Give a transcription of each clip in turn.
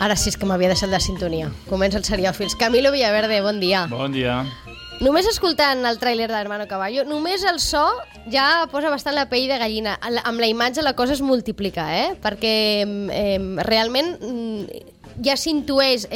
Ara sí és que m'havia deixat la sintonia. Comença el Seriòfils. Camilo Villaverde, bon dia. Bon dia. Només escoltant el tràiler d'Hermano Caballo, només el so ja posa bastant la pell de gallina. Amb la imatge la cosa es multiplica, perquè realment ja s'intueix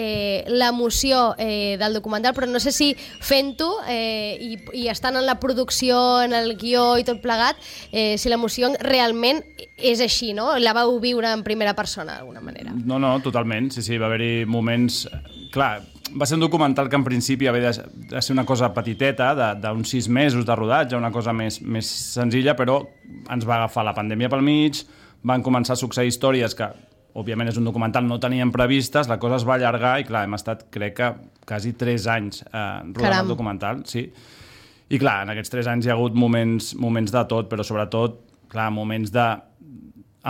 l'emoció del documental, però no sé si fent-ho i estant en la producció, en el guió i tot plegat, si l'emoció realment és així, no? La vau viure en primera persona, d'alguna manera. No, totalment. Sí, va haver-hi moments... Clar, va ser un documental que en principi havia de ser una cosa petiteta, d'uns 6 mesos de rodatge, una cosa més senzilla, però ens va agafar la pandèmia pel mig, van començar a succeir històries que, òbviament és un documental, no teníem previstes, la cosa es va allargar i, clar, hem estat, crec que, quasi 3 anys rodant el documental, sí. I, clar, en aquests 3 anys hi ha hagut moments de tot, però sobretot, clar, moments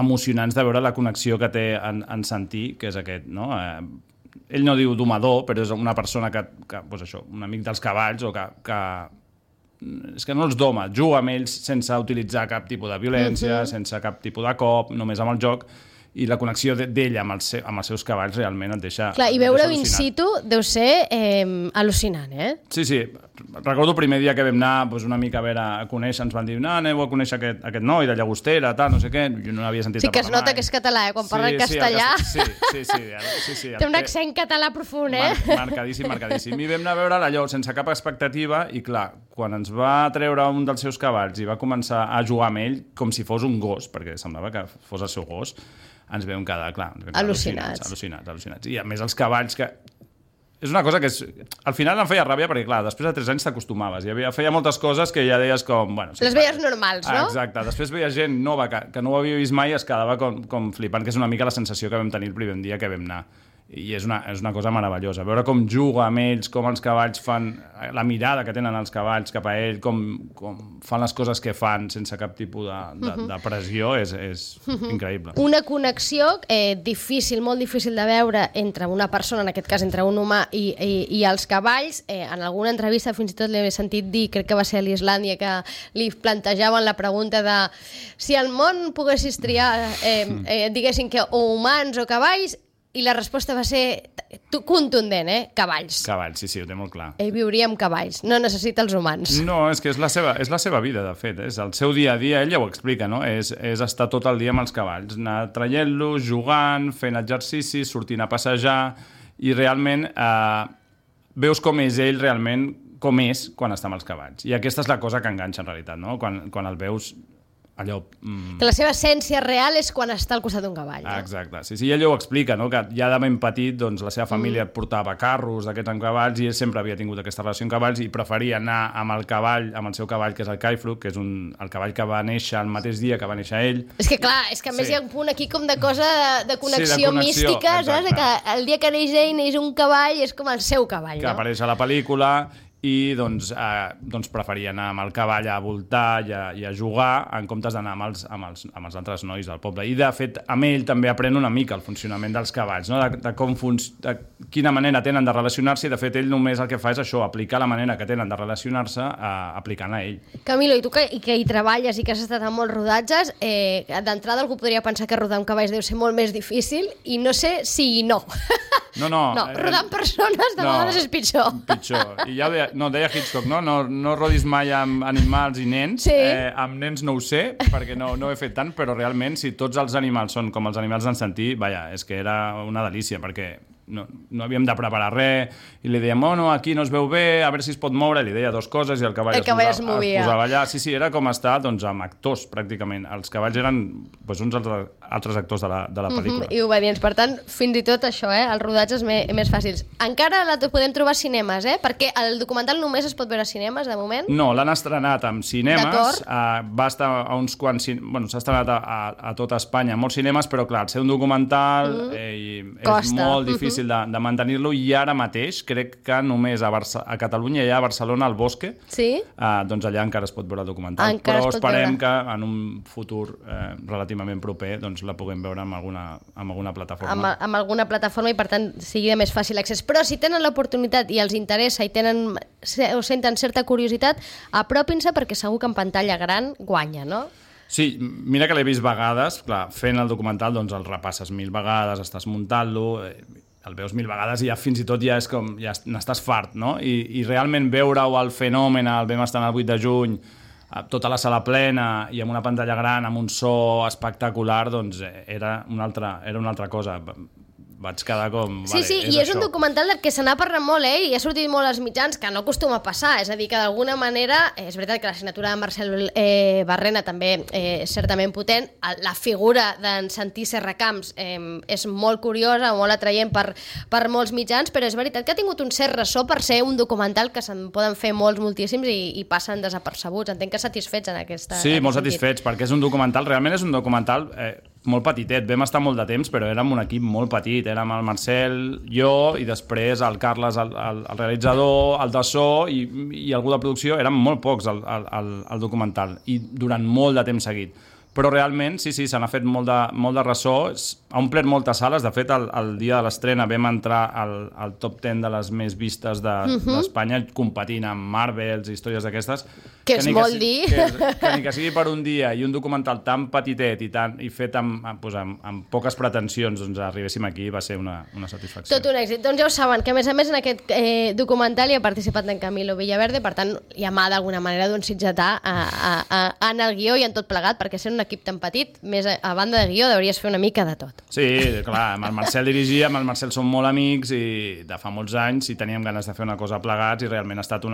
emocionants de veure la connexió que té en Santi, que és aquest, no?, ell no diu domador, però és una persona que doncs això, un amic dels cavalls, o que és que no els doma, juga amb ells sense utilitzar cap tipus de violència, sense cap tipus de cop, només amb el joc, i la connexió d'ell amb els seus cavalls realment et deixa... Clar, i veure-ho in situ deu ser al·lucinant, Sí, recordo el primer dia que vam anar una mica a conèixer, ens van dir, aneu a conèixer aquest noi de Llagostera, tal, no sé què, jo no n'havia sentit a parlar mai. Sí que es nota que és català, quan parla en castellà. Sí. Té un accent català profund, Marcadíssim. I vam anar a veure allò sense cap expectativa i, clar, quan ens va treure un dels seus cavalls i va començar a jugar amb ell com si fos un gos, perquè semblava que fos el seu gos, ens vam quedar, clar, al·lucinats. I a més els cavalls que... És una cosa que al final em feia ràbia perquè, clar, després de 3 anys t'acostumaves. Feia moltes coses que ja deies com... Les veies normals, no? Exacte. Després veia gent nova que no ho havia vist mai i es quedava com flipant, que és una mica la sensació que vam tenir el primer dia que vam anar. I és una cosa meravellosa. Veure com juga amb ells, com els cavalls fan... La mirada que tenen els cavalls cap a ell, com fan les coses que fan sense cap tipus de pressió, és increïble. Una connexió difícil, molt difícil de veure entre una persona, en aquest cas entre un humà i els cavalls. En alguna entrevista fins i tot l'he sentit dir, crec que va ser a l'Islàndia, que li plantejaven la pregunta de si al món poguessis triar, diguessin que o humans o cavalls, i la resposta va ser contundent, cavalls. Cavalls, sí, ho té molt clar. Ell viuria amb cavalls, no necessita els humans. No, és que és la seva vida, de fet. És el seu dia a dia, ell ja ho explica, no? És estar tot el dia amb els cavalls, anar traient-los, jugant, fent exercicis, sortint a passejar, i realment veus com és ell realment, com és quan està amb els cavalls. I aquesta és la cosa que enganxa, en realitat, no? Quan el veus... allò... Que la seva essència real és quan està al costat d'un cavall. Exacte, sí, ell ho explica, no? Que ja de ben petit doncs, la seva família portava carros d'aquests amb cavalls i ell sempre havia tingut aquesta relació amb cavalls i preferia anar amb el cavall, amb el seu cavall, que és el Kaifruk, que és el cavall que va néixer el mateix dia que va néixer ell. És que clar, és que a més hi ha un punt aquí com de cosa de connexió mística, saps? Que el dia que neix ell neix un cavall i és com el seu cavall, no? Que apareix a la pel·lícula... i doncs preferia anar amb el cavall a voltar i a jugar en comptes d'anar amb els altres nois del poble. I de fet, amb ell també aprèn una mica el funcionament dels cavalls, no? de quina manera tenen de relacionar-se, i de fet ell només el que fa és això, aplicar la manera que tenen de relacionar-se aplicant a ell. Camilo, i tu que hi treballes i que has estat en molts rodatges, d'entrada algú podria pensar que rodar amb cavalls deu ser molt més difícil i no sé si no. No, rodar amb persones de vegades és pitjor. I ja deia Hitchcock, no rodis mai amb animals i nens. Sí. Amb nens no ho sé, perquè no he fet tant, però realment si tots els animals són com els animals d'en Santi, és que era una delícia, perquè no havíem de preparar res, i li dèiem, aquí no es veu bé, a veure si es pot moure, li deia 2 coses i el cavall es posava allà. Sí, era com estar amb actors, pràcticament. Els cavalls eren uns altres actors de la pel·lícula. I obedients. Per tant, fins i tot això, els rodatges més fàcils. Encara la podem trobar a cinemes, perquè el documental només es pot veure a cinemes, de moment? No, l'han estrenat en cinemes. Va estar a uns quants... S'ha estrenat a tota Espanya, a molts cinemes, però clar, ser un documental és molt difícil de mantenir-lo, i ara mateix crec que només a Catalunya i a Barcelona, al Bosque, doncs allà encara es pot veure el documental, però esperem que en un futur relativament proper la puguem veure amb alguna plataforma. Amb alguna plataforma, i per tant sigui de més fàcil accés. Però si tenen l'oportunitat i els interessa o senten certa curiositat, apropin-se, perquè segur que en pantalla gran guanya, no? Sí, mira que l'he vist vegades, clar, fent el documental doncs el repasses 1000 vegades, estàs muntant-lo, el veus 1000 vegades i ja fins i tot ja és com, ja n'estàs fart, no? I realment veure-ho al Fenomen, vam estar el 8 de juny, tota la sala plena i amb una pantalla gran, amb un so espectacular, doncs era una altra cosa. Vaig quedar com... Sí, i és un documental del que se n'ha parlat molt, i ha sortit molt als mitjans, que no acostuma a passar, és a dir, que d'alguna manera, és veritat que la signatura de Marcel Barrena també és certament potent, la figura d'en Santi Serracamps és molt curiosa, molt atraient per molts mitjans, però és veritat que ha tingut un cert ressò per ser un documental que se'n poden fer moltíssims i passen desapercebuts. Entenc que satisfets en aquesta... Sí, molt satisfets, perquè és un documental, realment és un documental molt petitet, vam estar molt de temps, però érem un equip molt petit, érem el Marcel, jo, i després el Carles, el realitzador, el de so i algú de producció, érem molt pocs al documental, i durant molt de temps seguit. Però realment, sí, se n'ha fet molt de ressò, ha omplert moltes sales, de fet, el dia de l'estrena vam entrar al top 10 de les més vistes d'Espanya, competint amb Marvels i històries d'aquestes. Que és molt dir. Que ni que sigui per un dia i un documental tan petitet i fet amb poques pretensions, doncs arribéssim aquí, va ser una satisfacció. Tot un èxit. Doncs ja ho saben, que a més en aquest documental hi ha participat en Camilo Villaverde, per tant, ja m'ha d'alguna manera d'un sitgetà en el guió i en tot plegat, perquè sent un equip tan petit, més a banda de guió, hauries fer una mica de tot. Sí, clar, amb el Marcel dirigia, amb el Marcel som molt amics i de fa molts anys i teníem ganes de fer una cosa plegats i realment ha estat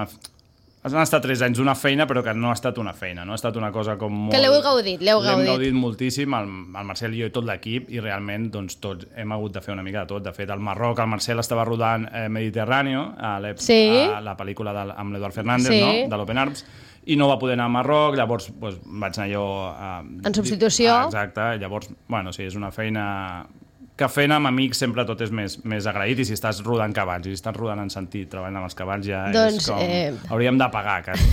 han estat 3 anys d'una feina, però que no ha estat una feina, no ha estat una cosa com molt... Que l'heu gaudit. L'hem gaudit moltíssim, el Marcel i jo i tot l'equip, i realment doncs, tots hem hagut de fer una mica de tot. De fet, al Marroc el Marcel estava rodant Mediterráneo, a la pel·lícula amb l'Eduard Fernández, de l'Open Arms, i no va poder anar a Marroc, llavors vaig anar jo... En substitució. Exacte, llavors, sí, és una feina... que fent amb amics sempre tot és més agraït, i si estàs rodant cavalls, i si estàs rodant en sentit, treballant amb els cavalls, ja és com... Hauríem de pagar, quasi.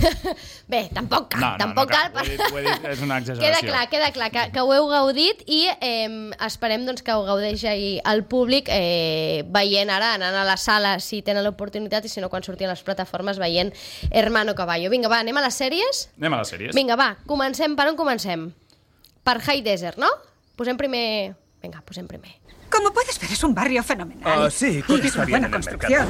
Bé, tampoc cal. No cal. Ho he dit, és una exageració. Queda clar que ho heu gaudit i esperem doncs, que ho gaudeixi el públic veient ara, anant a la sala si tenen l'oportunitat, i si no, quan surtin a les plataformes veient Hermano Caballo. Vinga, va, anem a les sèries? Anem a les sèries. Vinga, va, comencem. Per on comencem? Per High Desert, no? Posem primer... Vinga, posem primer. Como puedes ver, es un barrio fenomenal. Sí, y es una buena construcción.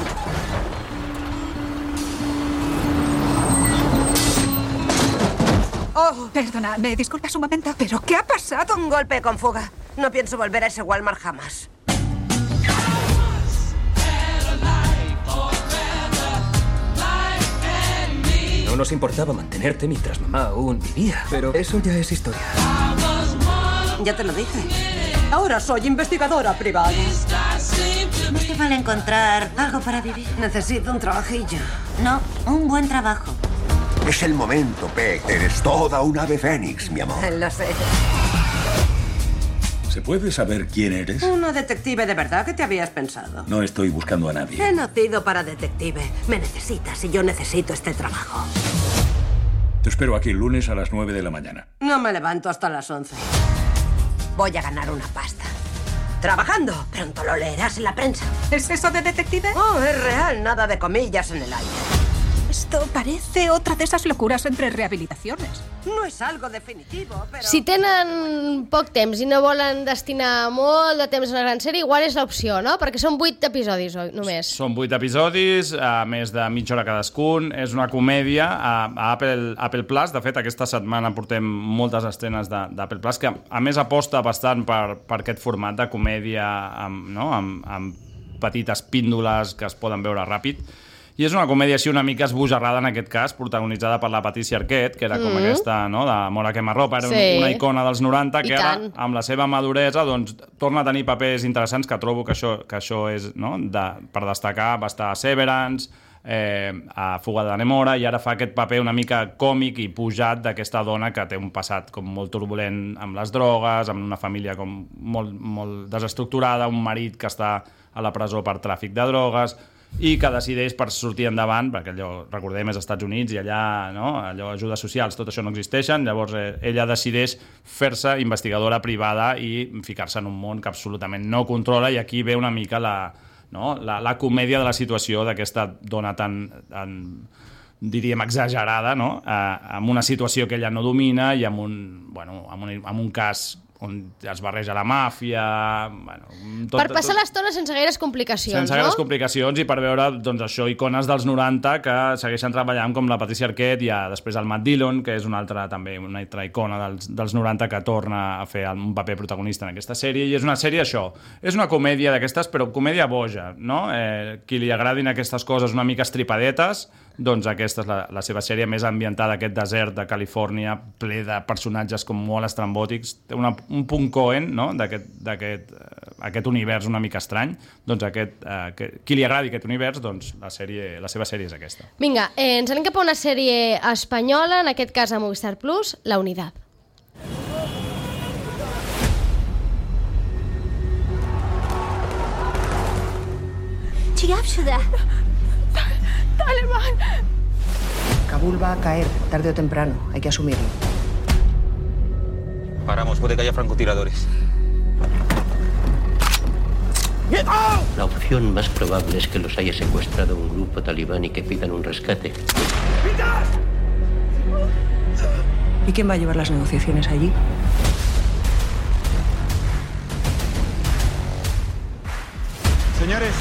Oh, perdona, ¿me disculpas un momento? ¿Pero qué ha pasado? Un golpe con fuga. No pienso volver a ese Walmart jamás. No nos importaba mantenerte mientras mamá aún vivía, pero eso ya es historia. Ya te lo dije. Ahora soy investigadora privada. ¿No te vale encontrar algo para vivir? Necesito un trabajillo. No, un buen trabajo. Es el momento, Peck. Eres toda un ave fénix, mi amor. Lo sé. ¿Se puede saber quién eres? Una detective de verdad. ¿Qué te habías pensado? No estoy buscando a nadie. He nacido para detective. Me necesitas y yo necesito este trabajo. Te espero aquí el lunes a las 9 de la mañana. No me levanto hasta las 11. Voy a ganar una pasta. Trabajando. Pronto lo leerás en la prensa. ¿Es eso de detective? Oh, es real. Nada de comillas en el aire. Esto parece otra de esas locuras entre rehabilitaciones. No és algo definitivo, però... Si tenen poc temps i no volen destinar molt de temps a una gran sèrie, igual és l'opció, no? Perquè són 8 episodis, només. Són 8 episodis, a més de mitja hora cadascun. És una comèdia a Apple Plus. De fet, aquesta setmana portem moltes estrenes d'Apple Plus, que a més aposta bastant per aquest format de comèdia amb petites píndoles que es poden veure ràpid. I és una comèdia així una mica esbojarrada en aquest cas, protagonitzada per la Patricia Arquette, que era com aquesta, no?, de Mora quemarropa, era una icona dels 90, que ara, amb la seva maduresa, doncs, torna a tenir papers interessants, que trobo que això és, no?, per destacar, va estar a Severance, a Fuga de Nemora, i ara fa aquest paper una mica còmic i pujat d'aquesta dona que té un passat com molt turbulent amb les drogues, amb una família com molt desestructurada, un marit que està a la presó per tràfic de drogues, i que decideix per sortir endavant, perquè allò, recordem, és als Estats Units i allà, no?, allò, ajudes socials, tot això no existeixen, llavors ella decideix fer-se investigadora privada i ficar-se en un món que absolutament no controla, i aquí ve una mica la comèdia de la situació d'aquesta dona tan diríem, exagerada, no?, amb una situació que ella no domina i amb un cas on es barreja la màfia... Bueno, per passar l'estona sense gaires complicacions, sense gaires complicacions i per veure, doncs això, icones dels 90 que segueixen treballant, com la Patricia Arquette i després el Matt Dillon, que és una altra icona dels 90 que torna a fer un paper protagonista en aquesta sèrie, i és una sèrie, això, és una comèdia d'aquestes, però comèdia boja, no? Qui li agradin aquestes coses una mica estripadetes, doncs aquesta és la seva sèrie més ambientada, aquest desert de Califòrnia, ple de personatges com molt estrambòtics, té un punt Coen, no?, d'aquest univers una mica estrany. Doncs qui li agradi aquest univers, doncs la seva sèrie és aquesta. Vinga, ens anem cap a una sèrie espanyola, en aquest cas a Movistar Plus, La Unidad. ¡Talibán! Kabul va a caer, tarde o temprano. Hay que asumirlo. Paramos, puede que haya francotiradores. La opción más probable es que los haya secuestrado un grupo talibán y que pidan un rescate. ¿Y quién va a llevar las negociaciones allí? Señores,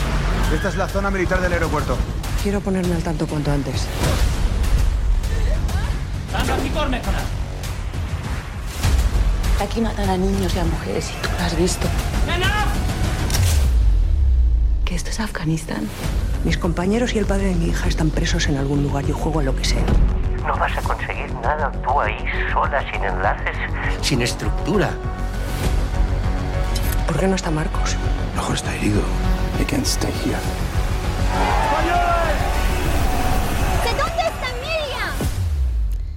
esta es la zona militar del aeropuerto. Quiero ponerme al tanto cuanto antes. Aquí matan a niños y a mujeres y tú lo has visto. ¿Que esto es Afganistán? Mis compañeros y el padre de mi hija están presos en algún lugar. Yo juego a lo que sea. No vas a conseguir nada tú ahí, sola, sin enlaces, sin estructura. ¿Por qué no está Marcos? Mejor está herido. He can't stay here. ¿Dónde está Miriam?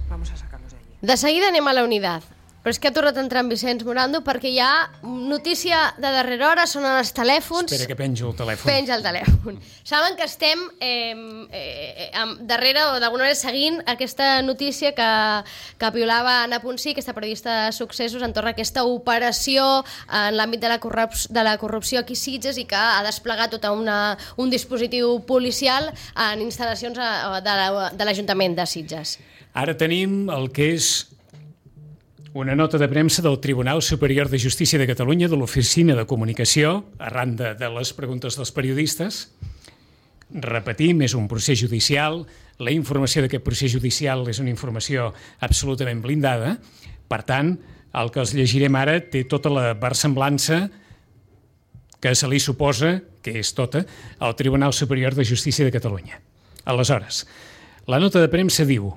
Vamos a sacarlos de allí. De seguida anem a La Unidad. Però és que ha tornat a entrar en Vicenç Morando perquè hi ha notícia de darrera hora, sonen els telèfons... Espera que penjo el telèfon. Penja el telèfon. Saben que estem darrere, o d'alguna manera seguint aquesta notícia que piolava Anna Ponsí, aquesta periodista de successos, entorn a aquesta operació en l'àmbit de la corrupció aquí a Sitges, i que ha desplegat tot un dispositiu policial en instal·lacions de l'Ajuntament de Sitges. Ara tenim el que és una nota de premsa del Tribunal Superior de Justícia de Catalunya, de l'Oficina de Comunicació, arran de les preguntes dels periodistes. Repetim, és un procés judicial. La informació d'aquest procés judicial és una informació absolutament blindada. Per tant, el que els llegirem ara té tota la versemblança que se li suposa, que és tota, al Tribunal Superior de Justícia de Catalunya. Aleshores, la nota de premsa diu,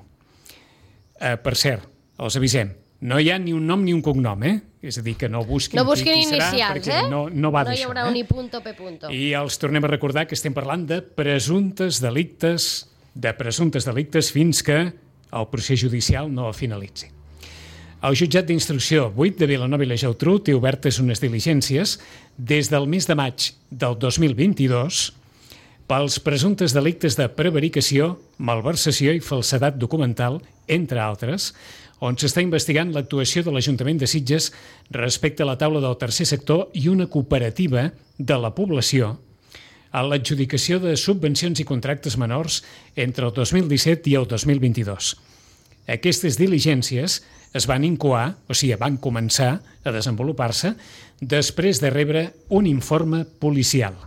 per cert, els avisem, no hi ha ni un nom ni un cognom, És a dir, que no busquin qui serà, inicials, perquè no va d'això. No hi haurà un i punto, p punto. I els tornem a recordar que estem parlant de presumptes delictes fins que el procés judicial no finalitzi. El jutjat d'instrucció 8 de Vilanova i la Geltrú té obertes unes diligències des del mes de maig del 2022 pels presumptes delictes de prevaricació, malversació i falsedat documental, entre altres, on s'està investigant l'actuació de l'Ajuntament de Sitges respecte a la taula del tercer sector i una cooperativa de la població a l'adjudicació de subvencions i contractes menors entre el 2017 i el 2022. Aquestes diligències es van incoar, o sigui, van començar a desenvolupar-se després de rebre un informe policial.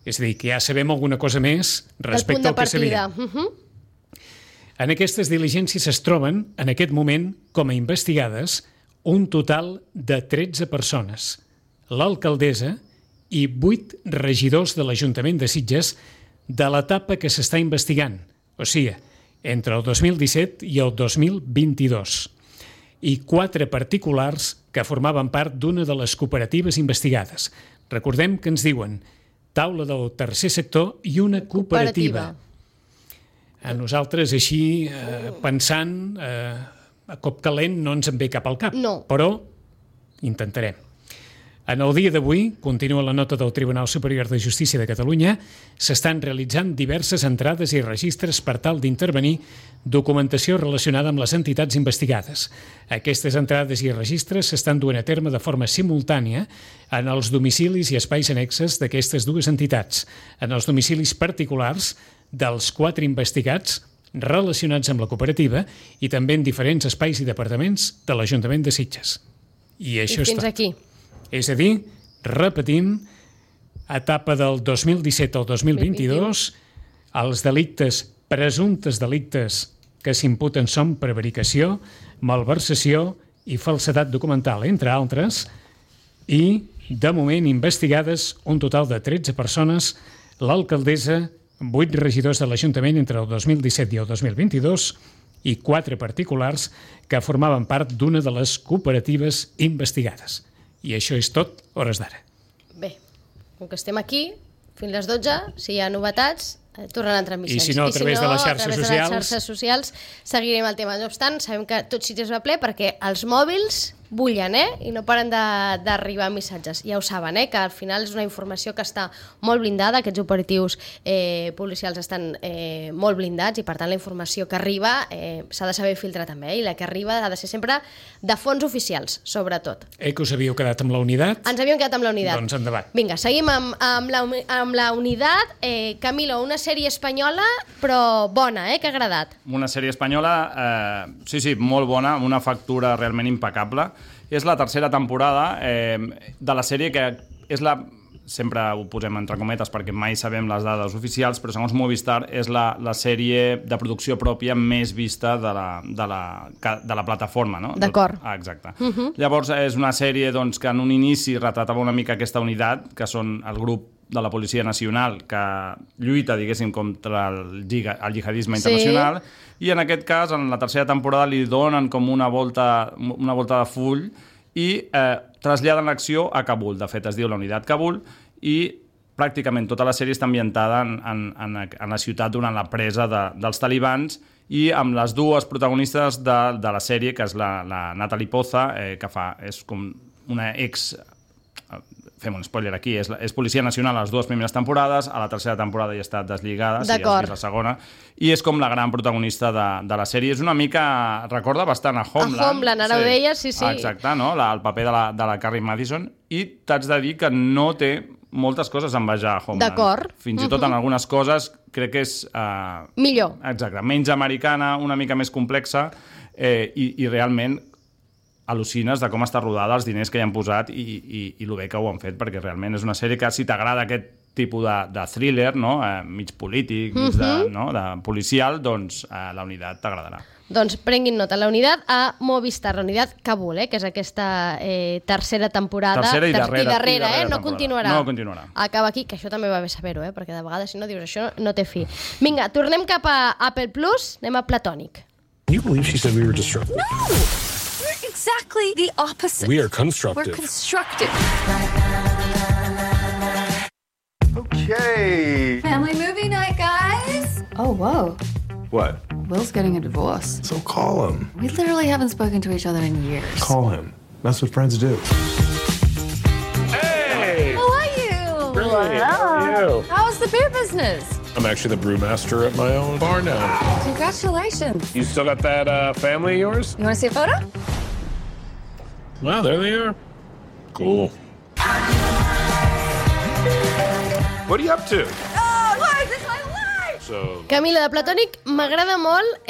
És a dir, que ja sabem alguna cosa més respecte al que sabia. En aquestes diligències es troben, en aquest moment, com a investigades, un total de 13 persones, l'alcaldessa i 8 regidors de l'Ajuntament de Sitges de l'etapa que s'està investigant, o sigui, entre el 2017 i el 2022, i 4 particulars que formaven part d'una de les cooperatives investigades. Recordem que ens diuen taula del tercer sector i una cooperativa. A nosaltres, així, pensant, a cop calent no ens en ve cap al cap, però intentarem. En el dia d'avui, continua la nota del Tribunal Superior de Justícia de Catalunya, s'estan realitzant diverses entrades i registres per tal d'intervenir documentació relacionada amb les entitats investigades. Aquestes entrades i registres s'estan duent a terme de forma simultània en els domicilis i espais annexes d'aquestes dues entitats, en els domicilis particulars dels 4 investigats relacionats amb la cooperativa i també en diferents espais i departaments de l'Ajuntament de Sitges. I això és fins tot. aquí. És a dir, repetim, etapa del 2017 al 2022, els delictes, presumptes delictes que s'imputen són prevaricació, malversació i falsedat documental, entre altres, i, de moment, investigades un total de 13 persones, l'alcaldessa, 8 regidors de l'Ajuntament entre el 2017 i el 2022 i 4 particulars que formaven part d'una de les cooperatives investigades. I això és tot, hores d'ara. Bé, com que estem aquí, fins les 12, si hi ha novetats, tornen a entrar en Vicenç. I si no, a través de les xarxes socials seguirem el tema. No obstant, sabem que tot Sitges va ple perquè els mòbils bullen, i no paren d'arribar missatges. Ja ho saben, que al final és una informació que està molt blindada, aquests operatius policials estan molt blindats i per tant la informació que arriba s'ha de saber filtrar també, i la que arriba ha de ser sempre de fons oficials, sobretot. Que us havíeu quedat amb la unitat? Ens havíem quedat amb la unitat. Doncs endavant. Vinga, seguim amb la unitat. Camilo, una sèrie espanyola però bona, que ha agradat. Una sèrie espanyola, sí, molt bona, amb una factura realment impecable. És la tercera temporada de la sèrie que és la... Sempre ho posem entre cometes perquè mai sabem les dades oficials, però segons Movistar és la sèrie de producció pròpia més vista de la plataforma, no? D'acord. Exacte. Llavors és una sèrie que en un inici retratava una mica aquesta unitat, que són el grup de la Policia Nacional que lluita, diguéssim, contra el jihadisme internacional, i en aquest cas, en la tercera temporada, li donen com una volta de full i traslladen l'acció a Kabul. De fet, es diu la unitat Kabul, i pràcticament tota la sèrie està ambientada en la ciutat durant la presa dels talibans, i amb les dues protagonistes de la sèrie, que és la Natalie Poza, que és com una fem un spoiler aquí, és Policia Nacional a les dues primeres temporades, a la tercera temporada ja està deslligada, si has vist la segona, i és com la gran protagonista de la sèrie. És una mica... recorda bastant a Homeland. A Homeland, ara ho deies, sí. Exacte, no? El paper de la Carrie Madison, i t'haig de dir que no té moltes coses a envejar a Homeland. D'acord. Fins i tot en algunes coses crec que és... millor. Exacte, menys americana, una mica més complexa, i realment al·lucines de com està rodada, els diners que hi han posat i el bé que ho han fet, perquè realment és una sèrie que, si t'agrada aquest tipus de thriller, no? Mig polític, mig de policial, doncs la unitat t'agradarà. Doncs prenguin nota, la unitat a Movistar, la unitat Kabul, que és aquesta tercera temporada. Tercera i darrera, no continuarà. No continuarà. Acaba aquí, que això també va bé saber-ho, perquè de vegades, si no, dius això no té fi. Vinga, tornem cap a Apple Plus, anem a Platònic. Can you believe she said we were destructive? No! We're exactly the opposite. We are constructive. We're constructive. Okay. Family movie night, guys. Oh, whoa. What? Will's getting a divorce. So call him. We literally haven't spoken to each other in years. Call him. That's what friends do. Hey! How are you? Great. How are you? How's the beer business? I'm actually the brewmaster at my own bar now. Congratulations. You still got that family of yours? You want to see a photo? Wow, there they are. Cool. What are you up to? Oh, life is my life! So... Camila, de Platònic m'agrada molt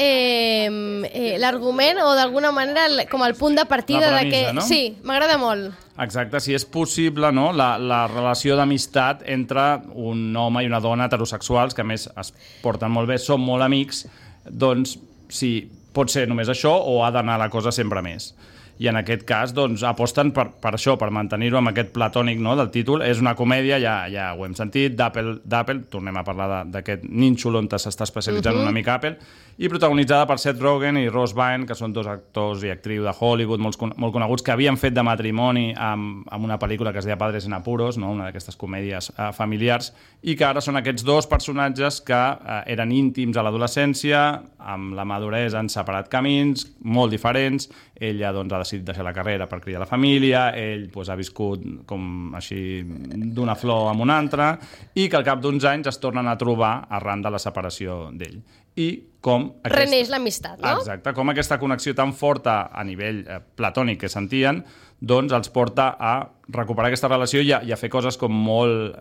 l'argument, o d'alguna manera com el punt de partida. La premissa, no? Sí, m'agrada molt. Exacte, si és possible, no? La relació d'amistat entre un home i una dona heterosexuals, que a més es porten molt bé, són molt amics, doncs si pot ser només això o ha d'anar la cosa sempre més. I en aquest cas doncs, aposten per això, per mantenir-ho amb aquest platònic, no, del títol. És una comèdia, ja ho hem sentit, d'Apple, tornem a parlar d'aquest nínxol on s'està especialitzant una mica Apple, i protagonitzada per Seth Rogen i Rose Byrne, que són dos actors i actrius de Hollywood molt coneguts, que havien fet de matrimoni amb una pel·lícula que es deia Padres en Apuros, no? Una d'aquestes comèdies familiars, i que ara són aquests dos personatges que eren íntims a l'adolescència, amb la maduresa han separat camins, molt diferents. Ella doncs, ha decidit deixar la carrera per criar la família, ell doncs, ha viscut com així d'una flor amb una altra, i que al cap d'uns anys es tornen a trobar arran de la separació d'ell. I com reneix l'amistat, no? Exacte, com aquesta connexió tan forta a nivell platònic que sentien, doncs els porta a recuperar aquesta relació i a fer coses com molt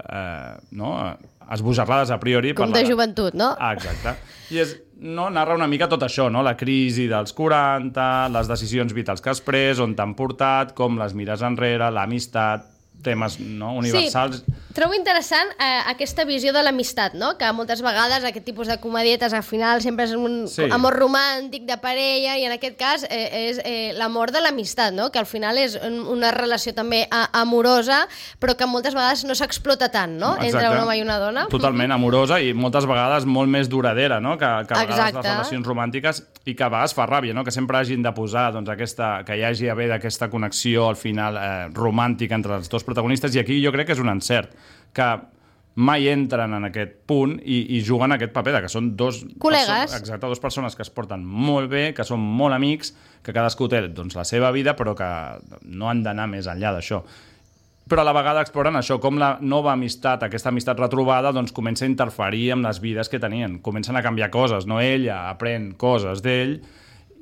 esbojarrades a priori. Com de joventut, no? Exacte. I és no, narra una mica tot això, no? La crisi dels 40, les decisions vitals que has pres, on t'han portat, com les mires enrere, l'amistat, temes universals. Sí, trobo interessant aquesta visió de l'amistat, no? Que moltes vegades aquest tipus de comedietes al final sempre és un amor romàntic de parella i en aquest cas és l'amor de l'amistat, no? Que al final és una relació també amorosa però que moltes vegades no s'explota tant, no? Entre un home i una dona. Totalment amorosa i moltes vegades molt més duradera, no? Que a vegades les relacions romàntiques i que a vegades fa ràbia, no? Que sempre hagin de posar que hi hagi haver d'aquesta connexió al final romàntica entre els dos protagonistes, i aquí jo crec que és un encert, que mai entren en aquest punt i juguen aquest paper de que són dos col·legues. Exacte, dues persones que es porten molt bé, que són molt amics, que cadascú té la seva vida, però que no han d'anar més enllà d'això. Però a la vegada exploren això, com la nova amistat, aquesta amistat retrobada, doncs comença a interferir amb les vides que tenien. Comencen a canviar coses, no? Ella aprèn coses d'ell,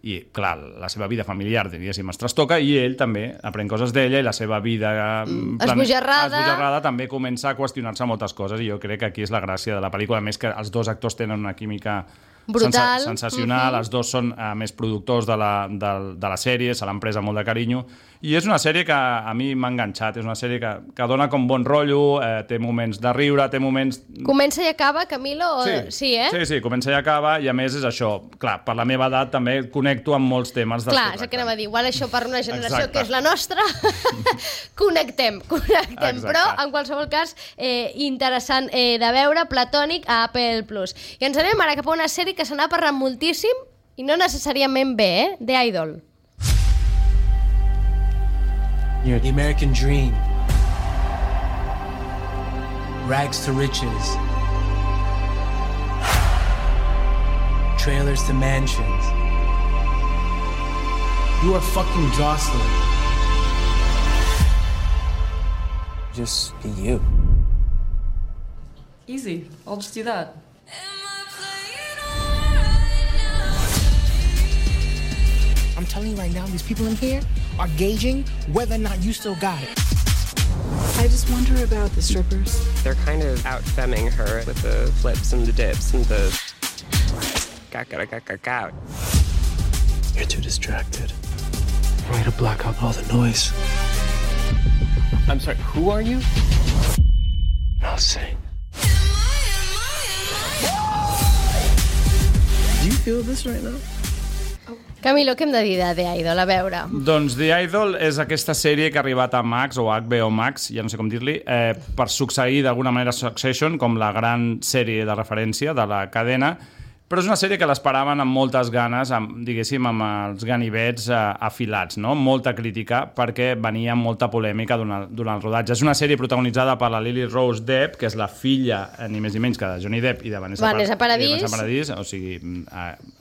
i, clar, la seva vida familiar, diguéssim, es trastoca, i ell també aprèn coses d'ella, i la seva vida esbojarrada també comença a qüestionar-se moltes coses, i jo crec que aquí és la gràcia de la pel·lícula, a més que els dos actors tenen una química brutal, sensacional, els dos són més productors de la sèrie, se l'han pres amb molt de carinyo, i és una sèrie que a mi m'ha enganxat, és una sèrie que dona com bon rotllo, té moments de riure, té moments... Comença i acaba, Camilo? Sí, Sí, comença i acaba, i a més és això, clar, per la meva edat també connecto amb molts temes. Clar, és el que anava a dir, igual això per una generació que és la nostra, connectem, però en qualsevol cas interessant de veure, Platònic a Apple+. I ens anem ara cap a una sèrie que se n'ha parlat moltíssim i no necessàriament bé, The Idol. The American dream. Rags to riches. Trailers to mansions. You are fucking Jocelyn. Just be you. Easy. I'll just do that. I'm telling you right now, these people in here are gauging whether or not you still got it. I just wonder about the strippers. They're kind of out-femming her with the flips and the dips and the... You're too distracted. I'm to block out all the noise. I'm sorry, who are you? I'll sing. Do you feel this right now? Camilo, què hem de dir de The Idol? A veure. Doncs The Idol és aquesta sèrie que ha arribat a Max, o HBO Max, ja no sé com dir-li, per succeir d'alguna manera Succession, com la gran sèrie de referència de la cadena, però és una sèrie que l'esperaven amb moltes ganes, diguéssim, amb els ganivets afilats, no? Molta crítica, perquè venia molta polèmica durant el rodatge. És una sèrie protagonitzada per la Lily Rose Depp, que és la filla, ni més ni menys que de Johnny Depp i de Vanessa Paradis, o sigui,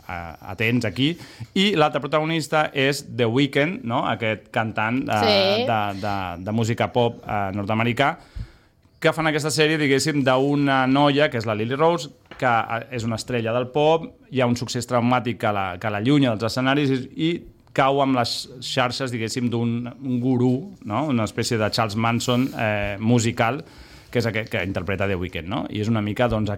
atents aquí. I l'altre protagonista és The Weeknd, no? Aquest cantant de música pop nord-americà, que fan aquesta sèrie, diguéssim, d'una noia, que és la Lily Rose, que és una estrella del pop, hi ha un succés traumàtic que l'allunya dels escenaris i cau amb les xarxes, diguéssim, d'un gurú, no? Una espècie de Charles Manson musical, que és aquest que interpreta The Weeknd, no? I és una mica, doncs,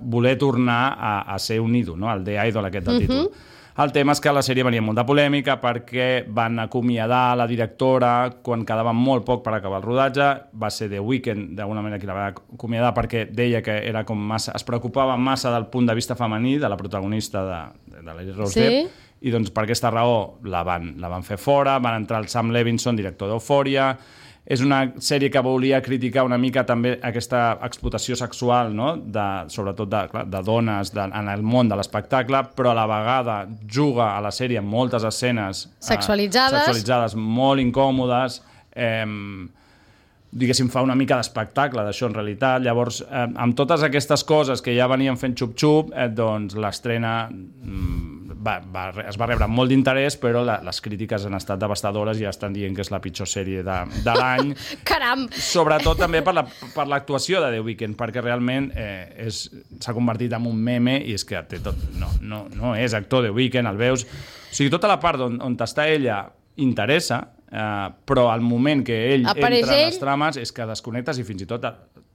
voler tornar a ser un ídol, no? El The Idol aquest del títol. El tema és que la sèrie venia amb molta polèmica perquè van acomiadar la directora quan quedava molt poc per acabar el rodatge. Va ser The Weeknd, d'alguna manera, qui la va acomiadar perquè deia que era com massa, es preocupava massa del punt de vista femení de la protagonista de la Rose Depp, i doncs per aquesta raó la van fer fora. Van entrar el Sam Levinson, director d'Euphoria. És una sèrie que volia criticar una mica també aquesta explotació sexual, no? Sobretot de dones en el món de l'espectacle, però a la vegada juga a la sèrie amb moltes escenes sexualitzades molt incòmodes, diguéssim, fa una mica d'espectacle d'això en realitat. Llavors, amb totes aquestes coses que ja venien fent xup-xup, doncs l'estrena es va rebre molt d'interès, però les crítiques han estat devastadores i ja estan dient que és la pitjor sèrie de l'any. Caram! Sobretot també per l'actuació de The Weeknd, perquè realment s'ha convertit en un meme i és que té tot, no és actor The Weeknd, el veus... O sigui, tota la part on està ella interessa, però al moment que ell entra en les trames és que desconnectes i fins i tot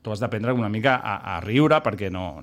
tu has d'aprendre una mica a riure perquè no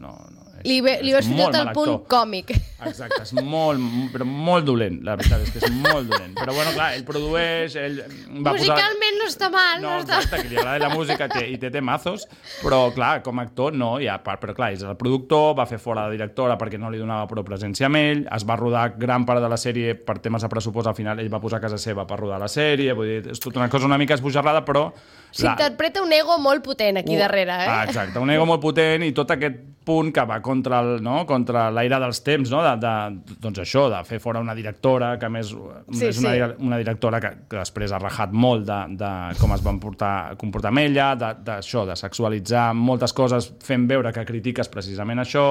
Li veus fins i tot el punt còmic. Exacte, és molt dolent, la veritat és que és molt dolent. Però bueno, clar, ell produeix, ell va musicalment no està mal. No, exacte, que li agrada la música i té temazos, però clar, com a actor no, però clar, és el productor, va fer fora la directora perquè no li donava prou presència amb ell, es va rodar gran part de la sèrie per temes de pressupost, al final ell va posar a casa seva per rodar la sèrie, vull dir, és tota una cosa una mica esbojarrada, però... S'interpreta un ego molt potent aquí darrere, Exacte, un ego molt potent i tot aquest punt que va contra l'aire dels temps, no? Doncs això, de fer fora una directora, que a més és una directora que després ha rajat molt de com es van comportar amb ella, d'això, de sexualitzar moltes coses fent veure que critiques precisament això.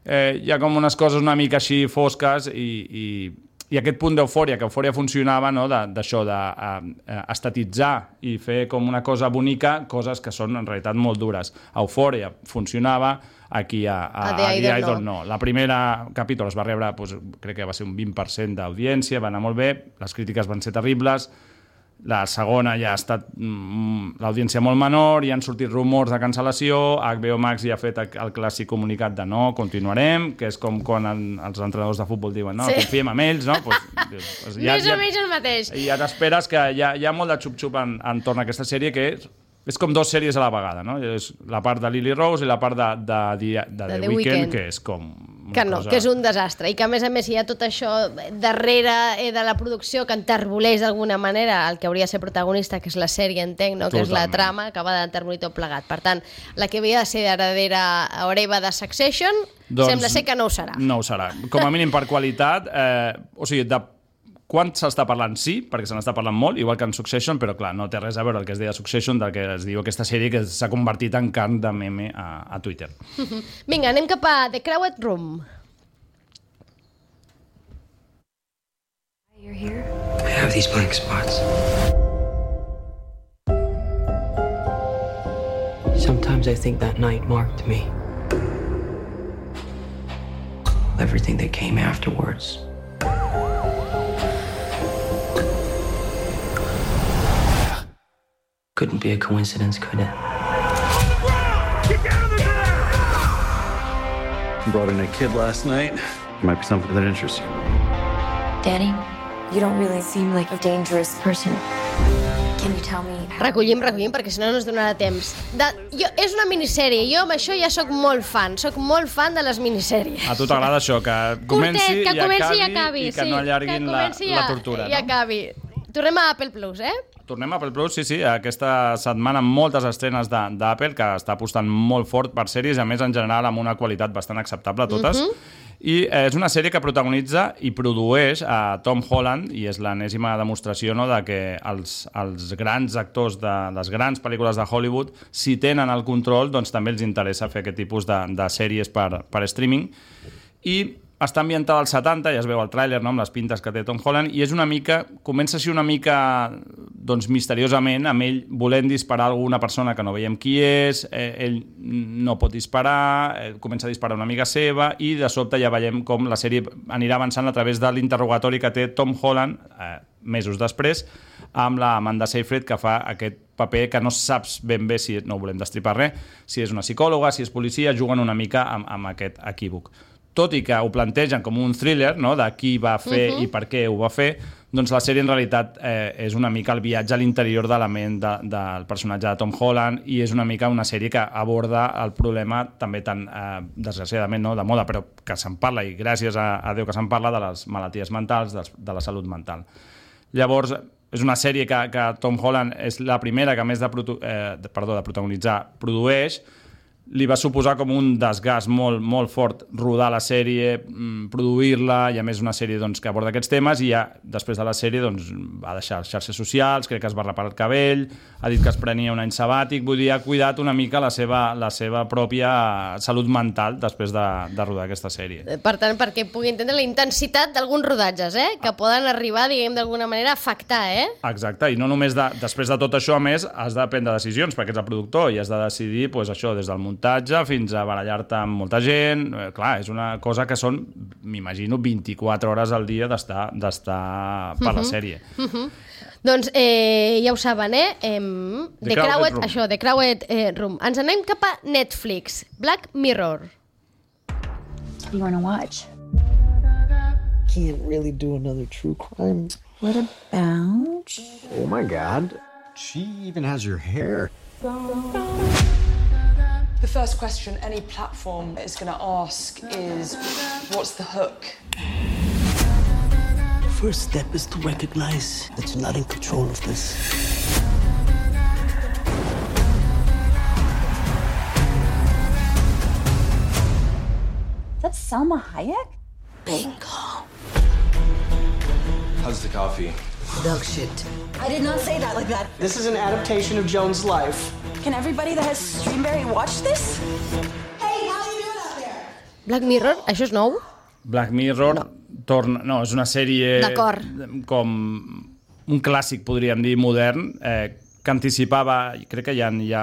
Hi ha com unes coses una mica així fosques i aquest punt d'eufòria, que Eufòria funcionava, no? D'això, d'estatitzar i fer com una cosa bonica, coses que són en realitat molt dures. Eufòria funcionava, aquí a The Idol no. La primera capítol es va rebre, crec que va ser un 20% d'audiència, va anar molt bé, les crítiques van ser terribles, la segona ja ha estat l'audiència molt menor, hi han sortit rumors de cancel·lació, HBO Max ja ha fet el clàssic comunicat de no, continuarem, que és com quan els entrenadors de futbol diuen no, confiem en ells, no? Més o menys el mateix. I ja t'esperes que hi ha molt de xup-xup entorn a aquesta sèrie, que és com dues sèries a la vegada, no? És la part de Lily Rose i la part de The Weeknd, que és com... Que no, que és un desastre. I que, a més hi ha tot això darrere de la producció que enterboleix d'alguna manera el que hauria de ser protagonista, que és la sèrie, entenc, no? Que és la trama, que va d'enterbolir tot plegat. Per tant, la que havia de ser heredera hereva de Succession, sembla ser que no ho serà. No ho serà. Com a mínim per qualitat, o sigui, de quan s'està parlant, sí, perquè se n'està parlant molt, igual que en Succession, però clar, no té res a veure el que es deia Succession del que es diu aquesta sèrie que s'ha convertit en carn de meme a Twitter. Vinga, anem cap a The Crowded Room. You're here? I have these blank spots. Sometimes I think that night marked me. Everything that came afterwards. Couldn't be a coincidence, could it? Get down there! Brought in a kid last night. Might be something that interests you. Danny, you don't really seem like a dangerous person. Can you tell me... Recollim, perquè si no no es donarà temps. És una minissèrie, jo amb això ja sóc molt fan de les minissèries. A tu t'agrada això, que comenci i acabi, i que no allarguin la tortura. I acabi. Tornem a Apple Plus, Tornem a Apple Plus, sí. Aquesta setmana moltes estrenes d'Apple, que està apostant molt fort per sèries, a més en general amb una qualitat bastant acceptable totes. I és una sèrie que protagonitza i produeix a Tom Holland, i és l'enèsima demostració, no, de que els grans actors de les grans pel·lícules de Hollywood, si tenen el control, doncs també els interessa fer aquest tipus de sèries per streaming. I està ambientada als 70, ja es veu el tràiler, no?, amb les pintes que té Tom Holland, i és una mica, comença així una mica doncs, misteriosament, amb ell volent disparar a alguna persona que no veiem qui és, ell no pot disparar, comença a disparar una amiga seva, i de sobte ja veiem com la sèrie anirà avançant a través de l'interrogatori que té Tom Holland, mesos després, amb la Amanda Seyfried, que fa aquest paper que no saps ben bé, si no volem destripar res, si és una psicòloga, si és policia, juguen una mica amb aquest equívoc. Tot i que ho plantegen com un thriller, no?, de qui va fer i per què ho va fer, doncs la sèrie en realitat és una mica el viatge a l'interior de la ment del personatge de Tom Holland, i és una mica una sèrie que aborda el problema també tan, desgraciadament, no?, de moda, però que se'n parla, i gràcies a Déu que se'n parla, de les malalties mentals, de la salut mental. Llavors, és una sèrie que Tom Holland és la primera que, a més de protagonitzar, produeix. Li va suposar com un desgast molt, molt fort rodar la sèrie, produir-la, i a més una sèrie doncs, que aborda aquests temes, i ja després de la sèrie doncs, va deixar les xarxes socials, crec que es va reparar el cabell, ha dit que es prenia un any sabàtic, vull dir, ha cuidat una mica la seva pròpia salut mental després de rodar aquesta sèrie. Per tant, perquè pugui entendre la intensitat d'alguns rodatges, que poden arribar, diguem, d'alguna manera a afectar, Exacte, i no només després de tot això, a més, has de prendre decisions, perquè ets el productor, i has de decidir, doncs, això, des del muntatge fins a barallar-te amb molta gent. Clar, és una cosa que són, m'imagino, 24 hores al dia d'estar per la sèrie. Doncs ja ho saben, The Crowded Room. Ens anem cap a Netflix. Black Mirror. What do you want to watch? Can't really do another true crime. What about... Oh my God. She even has your hair. The first question any platform is going to ask is, what's the hook? The first step is to recognize that you're not in control of this. That's Salma Hayek? Bingo. How's the coffee? Dog shit. I did not say that like that. This is an adaptation of Joan's life. Can everybody that has Streamberry watch this? Hey, how you doing out there? Black Mirror, això és nou? Black Mirror torna... No, és una sèrie com un clàssic, podríem dir, modern, que anticipava... Crec que ja he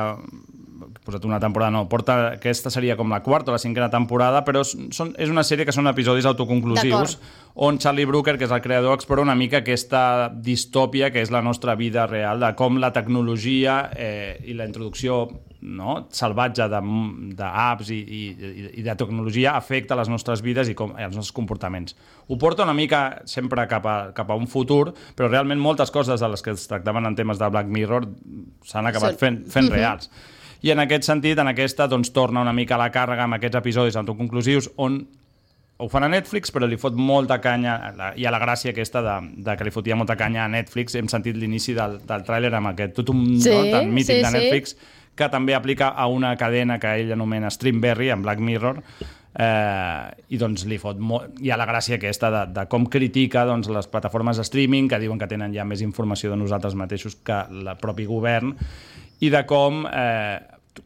posat una temporada, no, aquesta seria com la quarta o la cinquena temporada, però és una sèrie que són episodis autoconclusius on Charlie Brooker, que és el creador, explora una mica aquesta distòpia que és la nostra vida real, de com la tecnologia i la introducció salvatge d'apps i de tecnologia afecta les nostres vides i els nostres comportaments. Ho porta una mica sempre cap a un futur, però realment moltes coses de les que es tractaven en temes de Black Mirror s'han acabat fent reals. I en aquest sentit, en aquesta, doncs, torna una mica a la càrrega amb aquests episodis autoconclusius on ho fan a Netflix, però li fot molta canya, hi ha la gràcia aquesta de que li fotia molta canya a Netflix. Hem sentit l'inici del tràiler amb aquest totum tan mític de Netflix, que també aplica a una cadena que ell anomena Streamberry, en Black Mirror, i doncs li fot molt... Hi ha la gràcia aquesta de com critica les plataformes de streaming, que diuen que tenen ja més informació de nosaltres mateixos que el propi govern, i de com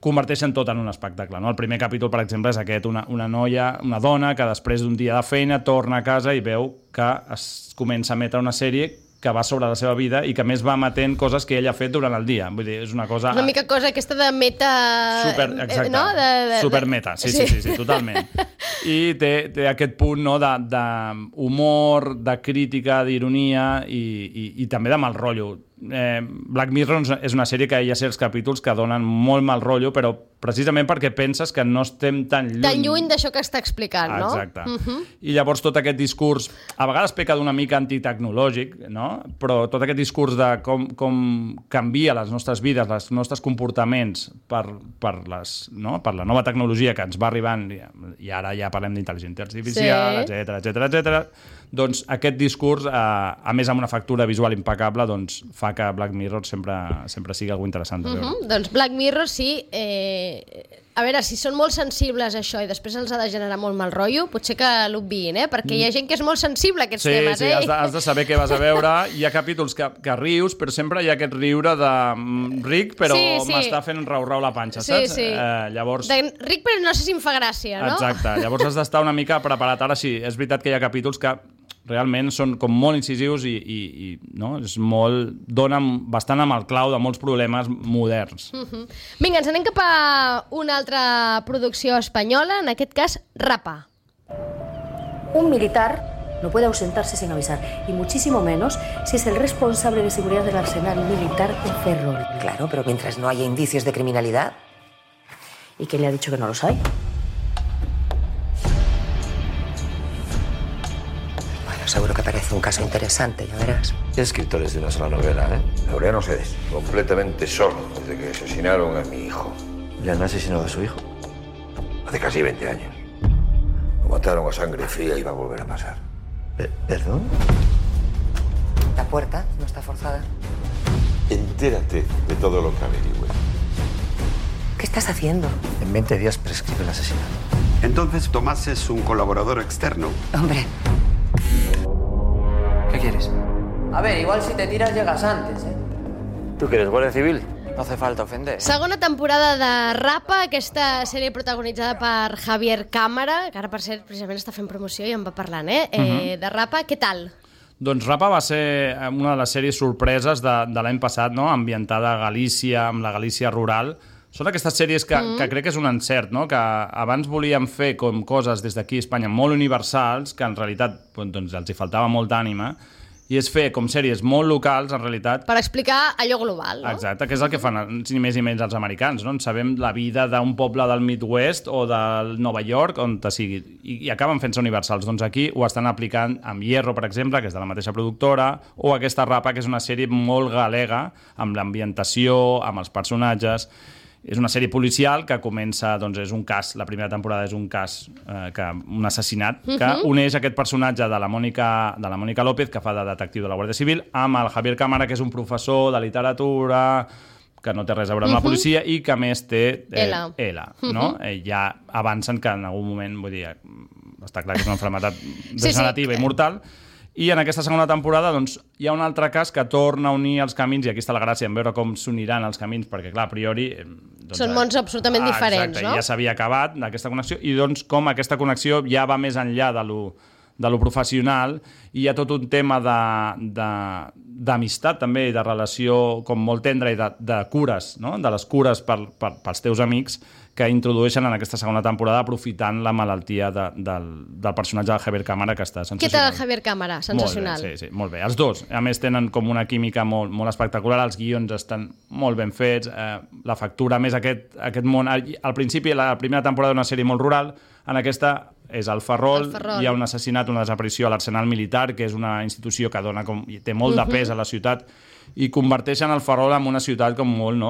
converteixen tot en un espectacle. El primer capítol, per exemple, és aquest, una noia, una dona, que després d'un dia de feina torna a casa i veu que es comença a emetre una sèrie que va sobre la seva vida i que més va emetent coses que ell ha fet durant el dia. Vull dir, és una cosa... Una mica cosa aquesta de meta... Exacte, supermeta, sí, totalment. I té aquest punt d'humor, de crítica, d'ironia i també de mal rotllo. Black Mirror és una sèrie que hi ha certs capítols que donen molt mal rotllo, però precisament perquè penses que no estem tan lluny d'això que està explicant, no? Exacte. I llavors tot aquest discurs, a vegades peca d'una mica antitecnològic, no? Però tot aquest discurs de com canvia les nostres vides, els nostres comportaments per la nova tecnologia que ens va arribant, i ara ja parlem d'intel·ligència artificial, etcètera, doncs aquest discurs, a més amb una factura visual impecable, doncs fa que Black Mirror sempre sigui algo interessant de veure. Doncs Black Mirror, sí. A veure, si són molt sensibles a això i després els ha de generar molt mal rotllo, potser que l'obviïn, perquè hi ha gent que és molt sensible a aquests temes. Sí, has de saber què vas a veure. Hi ha capítols que rius, però sempre hi ha aquest riure de ric, però m'està fent rau la panxa, saps? Sí. Llavors... Ric, però no sé si em fa gràcia, no? Exacte. Llavors has d'estar una mica preparat. Ara sí, és veritat que hi ha capítols que realment són com molt incisius i donen bastant amb el clau de molts problemes moderns. Vinga, ens anem cap a una altra producció espanyola, en aquest cas, Rapa. Un militar no puede ausentarse sin avisar, y muchísimo menos si es el responsable de seguridad del arsenal militar de Ferrol. Claro, pero mientras no haya indicios de criminalidad. ¿Y quién le ha dicho que no los hay? Seguro que parece un caso interesante, ya verás. ¿Qué escritores de una sola novela, Laureano Sedes, completamente solo desde que asesinaron a mi hijo. ¿Le han asesinado a su hijo? Hace casi 20 años. Lo mataron a sangre fría y va a volver a pasar. ¿Perdón? La puerta no está forzada. Entérate de todo lo que averigüe. ¿Qué estás haciendo? En 20 días prescribe el asesinato. Entonces Tomás es un colaborador externo. Hombre. ¿Qué quieres? A ver, igual si te tiras llegas antes, ¿Tú que eres guardia civil? No hace falta ofender. Segona temporada de Rapa, aquesta sèrie protagonitzada per Javier Cámara, que ara, per cert, precisament està fent promoció i en va parlant, de Rapa. Què tal? Doncs Rapa va ser una de les sèries sorpreses de l'any passat, no? Ambientada a Galícia, amb la Galícia rural. Són aquestes sèries que crec que és un encert, no? Que abans volíem fer com coses des d'aquí a Espanya molt universals, que en realitat doncs, els hi faltava molta ànima, i és fer com sèries molt locals, en realitat. Per explicar allò global, no? Exacte, que és el que fan ni més ni menys els americans, no? En sabem la vida d'un poble del Midwest o del Nova York, on te sigui, i acaben fent-se universals. Doncs aquí ho estan aplicant amb Hierro, per exemple, que és de la mateixa productora, o aquesta Rapa, que és una sèrie molt galega, amb l'ambientació, amb els personatges. És una sèrie policial que comença, doncs és un cas, la primera temporada és un cas, un assassinat, que uneix aquest personatge de la Mònica López, que fa de detectiu de la Guàrdia Civil, amb el Javier Cámara, que és un professor de literatura, que no té res a veure amb la policia i que a més té Ela, no? Ja avancen que en algun moment, vull dir, està clar que és una malaltia degenerativa i mortal. I en aquesta segona temporada doncs, hi ha un altre cas que torna a unir els camins, i aquí està la gràcia en veure com s'uniran els camins, perquè clar, a priori... Doncs, són mons absolutament diferents, exacte, no? Ja s'havia acabat aquesta connexió, i doncs com aquesta connexió ja va més enllà de lo professional, i hi ha tot un tema d'amistat també, i de relació com molt tendra, i de cures, no? De les cures pels teus amics, que introdueixen en aquesta segona temporada aprofitant la malaltia del personatge de Javier Cámara, que està sensacional. Què tal el Javier Cámara? Sensacional. Molt bé, sí, molt bé. Els dos, a més, tenen com una química molt espectacular, els guions estan molt ben fets, la factura, a més, aquest món... Al principi, la primera temporada d'una sèrie molt rural, en aquesta és el Ferrol, hi ha un assassinat, una desaparició a l'Arsenal Militar, que és una institució que té molt de pes a la ciutat, i converteixen el Ferrol en una ciutat com molt, no,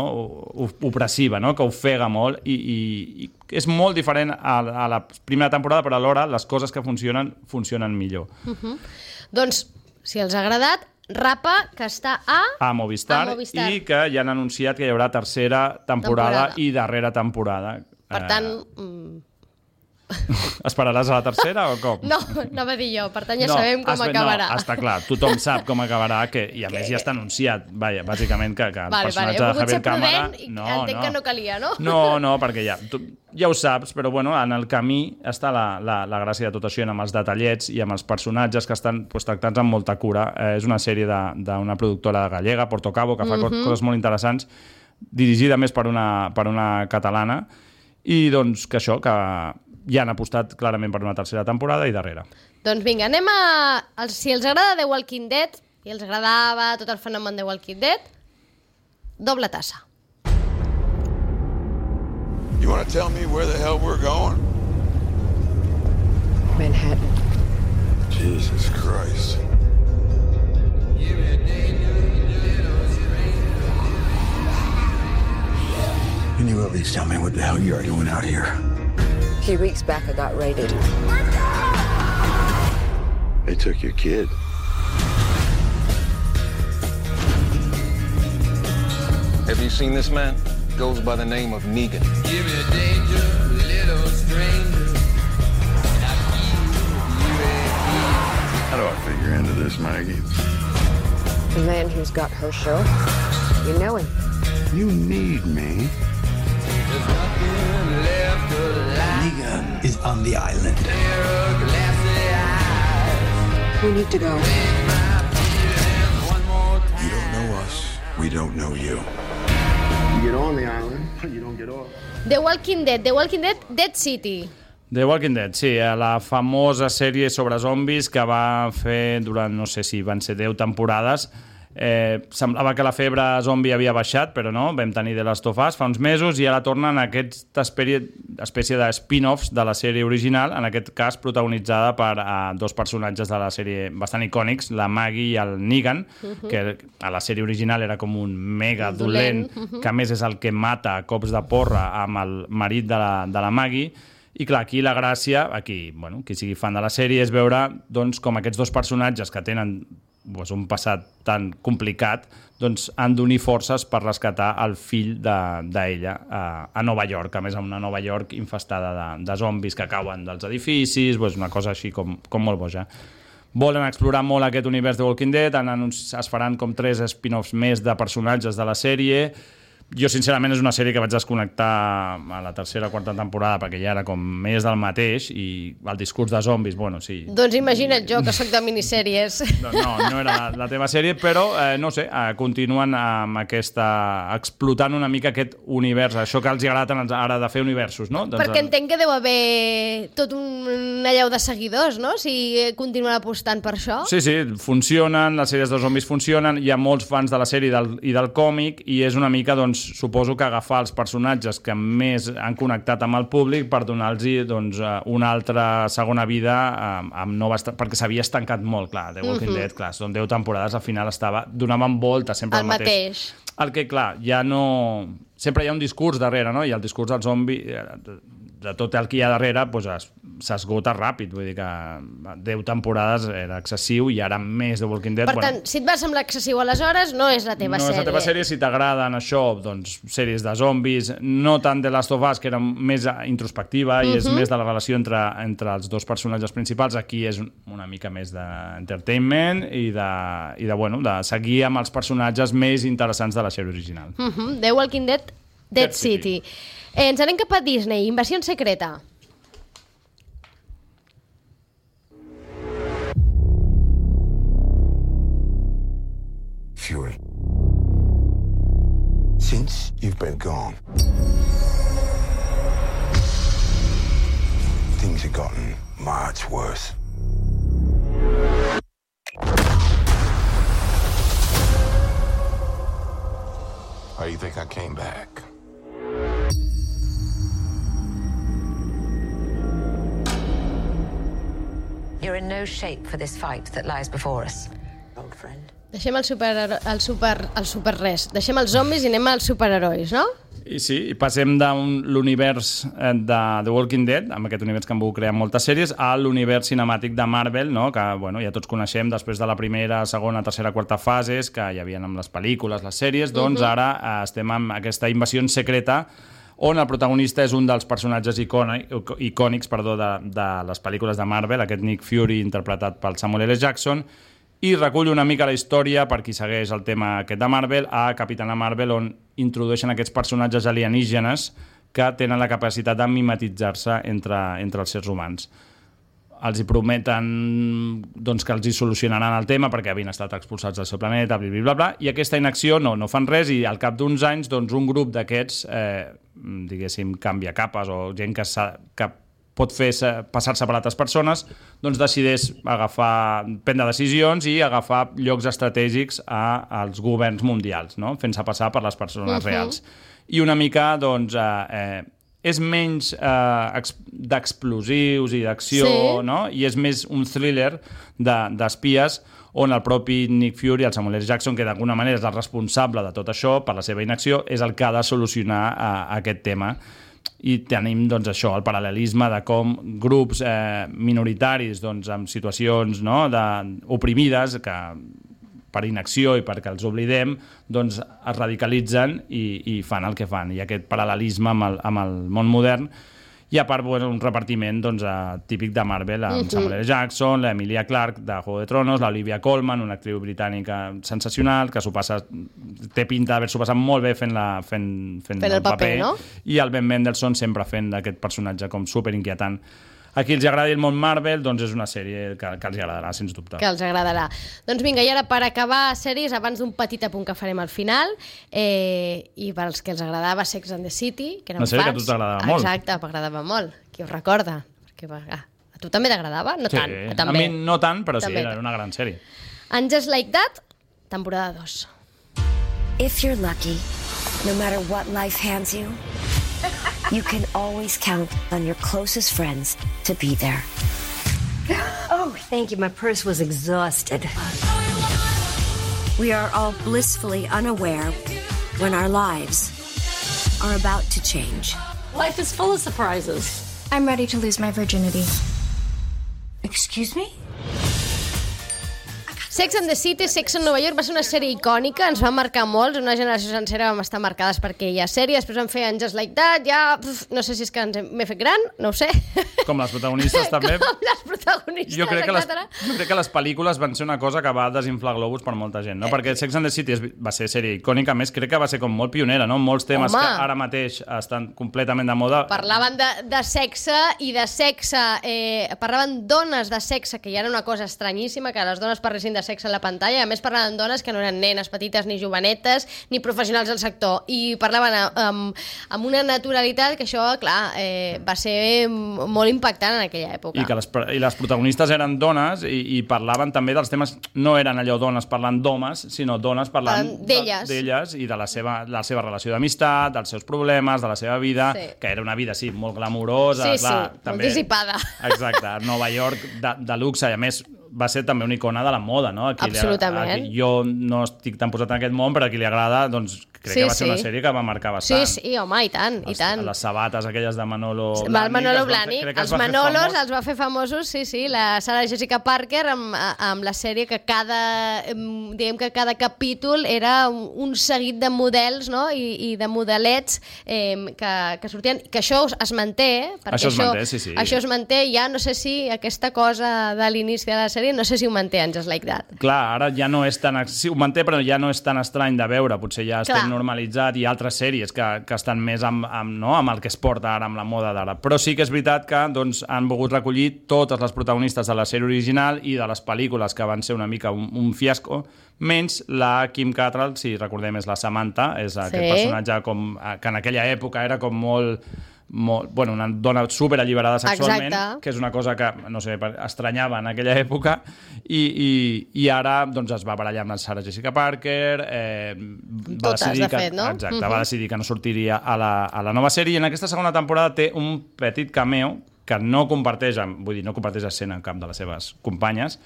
opressiva, no? Que ofega molt, i és molt diferent a la primera temporada, però alhora les coses que funcionen millor. Doncs, si els ha agradat, Rapa, que està a Movistar, i que ja han anunciat que hi haurà tercera temporada i darrera temporada. Per tant... Esperaràs a la tercera o com? No, anava a dir jo, per tant ja sabem com acabarà. No, està clar, tothom sap com acabarà, i a més ja està anunciat, bàsicament, que el personatge de Javier Cámara... Entenc que no calia, no? No, perquè ja ho saps, però bueno, en el camí està la gràcia de tot això, amb els detallets i amb els personatges que estan tractats amb molta cura. És una sèrie d'una productora gallega, Portocabo, que fa coses molt interessants, dirigida més per una catalana, i doncs que això, que ja han apostat clarament per una tercera temporada i darrere. Doncs vinga, anem a... Si els agrada The Walking Dead, i els agradava tot el fenomen The Walking Dead, doble tassa. You want to tell me where the hell we're going? Manhattan. Jesus Christ. Can you at least tell me what the hell you're doing out here? A few weeks back, I got raided. They took your kid. Have you seen this man? Goes by the name of Negan. Give me danger, little stranger. How do I figure into this, Maggie? The man who's got her show. You know him. You need me. There's nothing left alive. Negan is on the island. We need to go. You don't know us. We don't know you. You get on the island, you don't get off. The Walking Dead, Dead City. The Walking Dead, sí, la famosa sèrie sobre zombis que va fer durant, no sé si van ser 10 temporades. Semblava que la febre zombi havia baixat, però no, vam tenir The Last of Us fa uns mesos i ara tornen aquesta espècie de spin-offs de la sèrie original, en aquest cas protagonitzada per dos personatges de la sèrie bastant icònics, la Maggie i el Negan, que a la sèrie original era com un mega dolent, que a més és el que mata a cops de porra amb el marit de la Maggie. I clar, aquí la gràcia, qui sigui fan de la sèrie, és veure doncs, com aquests dos personatges que tenen un passat tan complicat han d'unir forces per rescatar el fill d'ella a Nova York, a més a una Nova York infestada de zombis que cauen dels edificis, una cosa així com molt boja. Volen explorar molt aquest univers de Walking Dead, es faran com 3 spin-offs més de personatges de la sèrie. Jo, sincerament, és una sèrie que vaig desconnectar a la tercera o quarta temporada perquè ja era com més del mateix i el discurs de zombis, bueno, sí. Doncs imagina't jo, que soc de minissèries. No era la teva sèrie, però, no sé, continuen amb explotant una mica aquest univers, això que els agrada ara de fer universos, no? Perquè entenc que deu haver tot un allau de seguidors, no?, si continuen apostant per això. Sí, funcionen, les sèries de zombis funcionen, hi ha molts fans de la sèrie i del còmic, i és una mica, doncs, suposo que agafar els personatges que més han connectat amb el públic per donar-los, doncs, una altra segona vida amb noves... perquè s'havia estancat molt, clar, The Walking Dead, clar, són 10 temporades, al final donaven voltes sempre el mateix. El que, clar, ja no... Sempre hi ha un discurs darrere, no? I el discurs del zombi, de tot el que hi ha darrere, doncs s'esgota ràpid. Vull dir que 10 temporades era excessiu i ara més The Walking Dead... Per tant, si et va semblar excessiu aleshores, no és la teva sèrie. No és la teva sèrie. Si t'agraden això, doncs, sèries de zombis, no tant The Last of Us, que era més introspectiva i és més de la relació entre els dos personatges principals, aquí és una mica més d'entertainment i de seguir amb els personatges més interessants de la sèrie original. The Walking Dead, Dead City. Ens anem cap a Disney, Invasió Secreta. Fury. Since you've been gone, things have gotten much worse. Why do you think I came back? You're in no shape for this fight that lies before us, old friend. Deixem el super res. Deixem els zombis i anem als superherois, no? I sí, i passem de l'univers de The Walking Dead, amb aquest univers que han volgut crear moltes sèries, a l'univers cinemàtic de Marvel, no? Que bueno, ja tots coneixem després de la primera, segona, tercera, quarta fases, que hi havia amb les pel·lícules, les sèries, doncs ara estem amb aquesta invasió secreta on el protagonista és un dels personatges icònics de les pel·lícules de Marvel, aquest Nick Fury interpretat pel Samuel L. Jackson, i recull una mica la història, per qui segueix el tema aquest de Marvel, a Capitana Marvel, on introdueixen aquests personatges alienígenes que tenen la capacitat de mimetitzar-se entre els éssers humans. Els hi prometen doncs, que els hi solucionaran el tema perquè havien estat expulsats del seu planeta, blablabla, i aquesta inacció no fan res, i al cap d'uns anys doncs, un grup d'aquests, diguéssim, canvia capes o gent que pot fer passar-se per altres persones, doncs decideix prendre decisions i agafar llocs estratègics als governs mundials, no? Fent-se passar per les persones reals. I una mica, doncs, és menys d'explosius i d'acció, no? I és més un thriller d'espies on el propi Nick Fury, el Samuel L. Jackson, que d'alguna manera és el responsable de tot això per la seva inacció, és el que ha de solucionar aquest tema. I tenim doncs, això, el paral·lelisme de com grups minoritaris doncs, en situacions oprimides que per inacció i perquè els oblidem doncs, es radicalitzen i fan el que fan. I aquest paral·lelisme amb el món modern. I a part, un repartiment doncs, típic de Marvel, amb Samuel L. Jackson, l'Emilia Clarke de Juego de Tronos, l'Olivia Colman, una actriu britànica sensacional, que té pinta d'haver-s'ho passat molt bé fent el paper, no? I el Ben Mendelsohn sempre fent d'aquest personatge com superinquietant. A qui els agradi el món Marvel, doncs és una sèrie que els agradarà, sens dubte. Que els agradarà. Doncs vinga, i ara per acabar sèries, abans d'un petit apunt que farem al final, i per als que els agradava Sex and the City, que eren fans... Una sèrie que a tu t'agradava molt. Exacte, m'agradava molt. Qui ho recorda? Perquè, a tu també t'agradava? No tant. A mi no tant, però sí, era una gran sèrie. And Just Like That, temporada 2. If you're lucky, no matter what life hands you, you can always count on your closest friends to be there. Oh, thank you. My purse was exhausted. We are all blissfully unaware when our lives are about to change. Life is full of surprises. I'm ready to lose my virginity. Excuse me? Sex and the City, Sex and Nova York va ser una sèrie icònica, ens va marcar molts, una generació sencera vam estar marcades per aquella sèrie, després vam fer Just Like That, no sé si és que m'he fet gran, no ho sé. Com les protagonistes també. Com les protagonistes, jo crec que les pel·lícules van ser una cosa que va desinflar globus per molta gent, no? Perquè Sex and the City va ser sèrie icònica, més crec que va ser com molt pionera, no? Molts temes que ara mateix estan completament de moda. Parlaven de sexe i de sexe, parlaven dones de sexe, que ja era una cosa estranyíssima, que les dones parlessin de sexe a la pantalla, a més parlaven dones que no eren nenes petites ni jovenetes ni professionals del sector, i parlaven amb una naturalitat que això, clar, va ser molt impactant en aquella època. I les protagonistes eren dones i parlaven també dels temes, no eren allò dones parlant d'homes, sinó dones parlant d'elles i de la seva relació d'amistat, dels seus problemes, de la seva vida, que era una vida, sí, molt glamurosa, molt dissipada. Exacte, Nova York de luxe, i a més va ser també una icona de la moda, no? Absolutament. Jo no estic tan posat en aquest món, però a qui li agrada, doncs crec que va ser una sèrie que va marcar bastant. Sí, home, i tant, i tant. Les sabates aquelles de Manolo Blahnik, els Manolos els va fer famosos, sí, la Sarah Jessica Parker amb la sèrie que cada capítol era un seguit de models, no? I de modelets que sortien, que això es manté, perquè això es manté, ja no sé si aquesta cosa de l'inici de la sèrie, no sé si ho manté en Just Like That. Clar, ara ja no és tan... Sí, ho manté, però ja no és tan estrany de veure, potser ja estem normalitzat, i altres sèries que estan més amb el que es porta ara, amb la moda d'ara. Però sí que és veritat que han volgut recollir totes les protagonistes de la sèrie original i de les pel·lícules, que van ser una mica un fiasco, menys la Kim Cattrall, si recordem, és la Samantha, és aquest personatge que en aquella època era com una dona superalliberada sexualment, que és una cosa que, no sé, estranyava en aquella època, i ara doncs es va barallar amb la Sarah Jessica Parker, va decidir que no sortiria a la nova sèrie, i en aquesta segona temporada té un petit cameo que no comparteix escena amb cap de les seves companyes,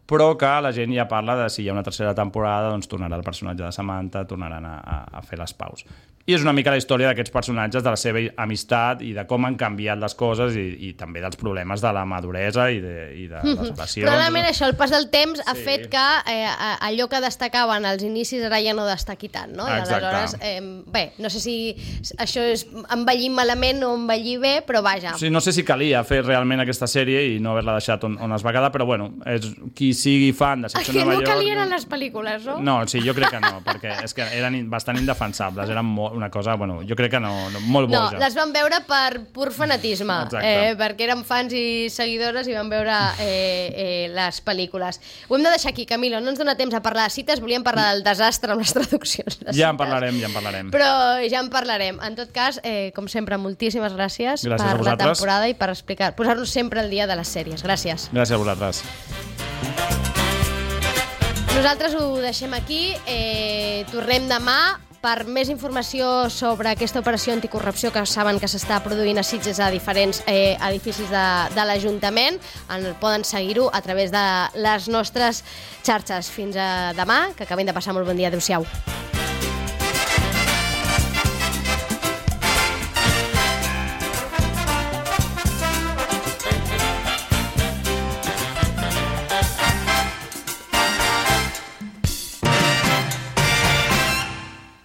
però que la gent ja parla de si hi ha una tercera temporada, doncs tornarà el personatge de Samantha, tornaran a fer les paus. I és una mica la història d'aquests personatges, de la seva amistat i de com han canviat les coses, i també dels problemes de la maduresa i de les relacions. Probablement això, el pas del temps ha fet que allò que destacaven als inicis ara ja no destaqui tant, no? I aleshores, bé, no sé si això és envellir malament o envellir bé, però vaja. Sí, no sé si calia fer realment aquesta sèrie i no haver-la deixat on es va quedar, però bueno, qui sigui fan de Sex and Nova York... Que no calien les pel·lícules, no? No, sí, jo crec que no, perquè és que eren bastant indefensables, eren una cosa, bueno, jo crec que no, molt boja. No, les van veure per pur fanatisme, perquè eren fans i seguidores i van veure les pel·lícules. Ho hem de deixar aquí, Camilo, no ens dona temps a parlar de cites, volíem parlar del desastre amb les traduccions. Ja en parlarem. Però ja en parlarem. En tot cas, com sempre, moltíssimes gràcies per la temporada i per posar-nos sempre al dia de les sèries. Gràcies. Gràcies a vosaltres. Nosaltres ho deixem aquí, tornem demà per més informació sobre aquesta operació anticorrupció que saben que s'està produint a Sitges a diferents edificis de l'Ajuntament. Poden seguir-ho a través de les nostres xarxes. Fins a demà, que acabem de passar molt bon dia. Adéu-siau.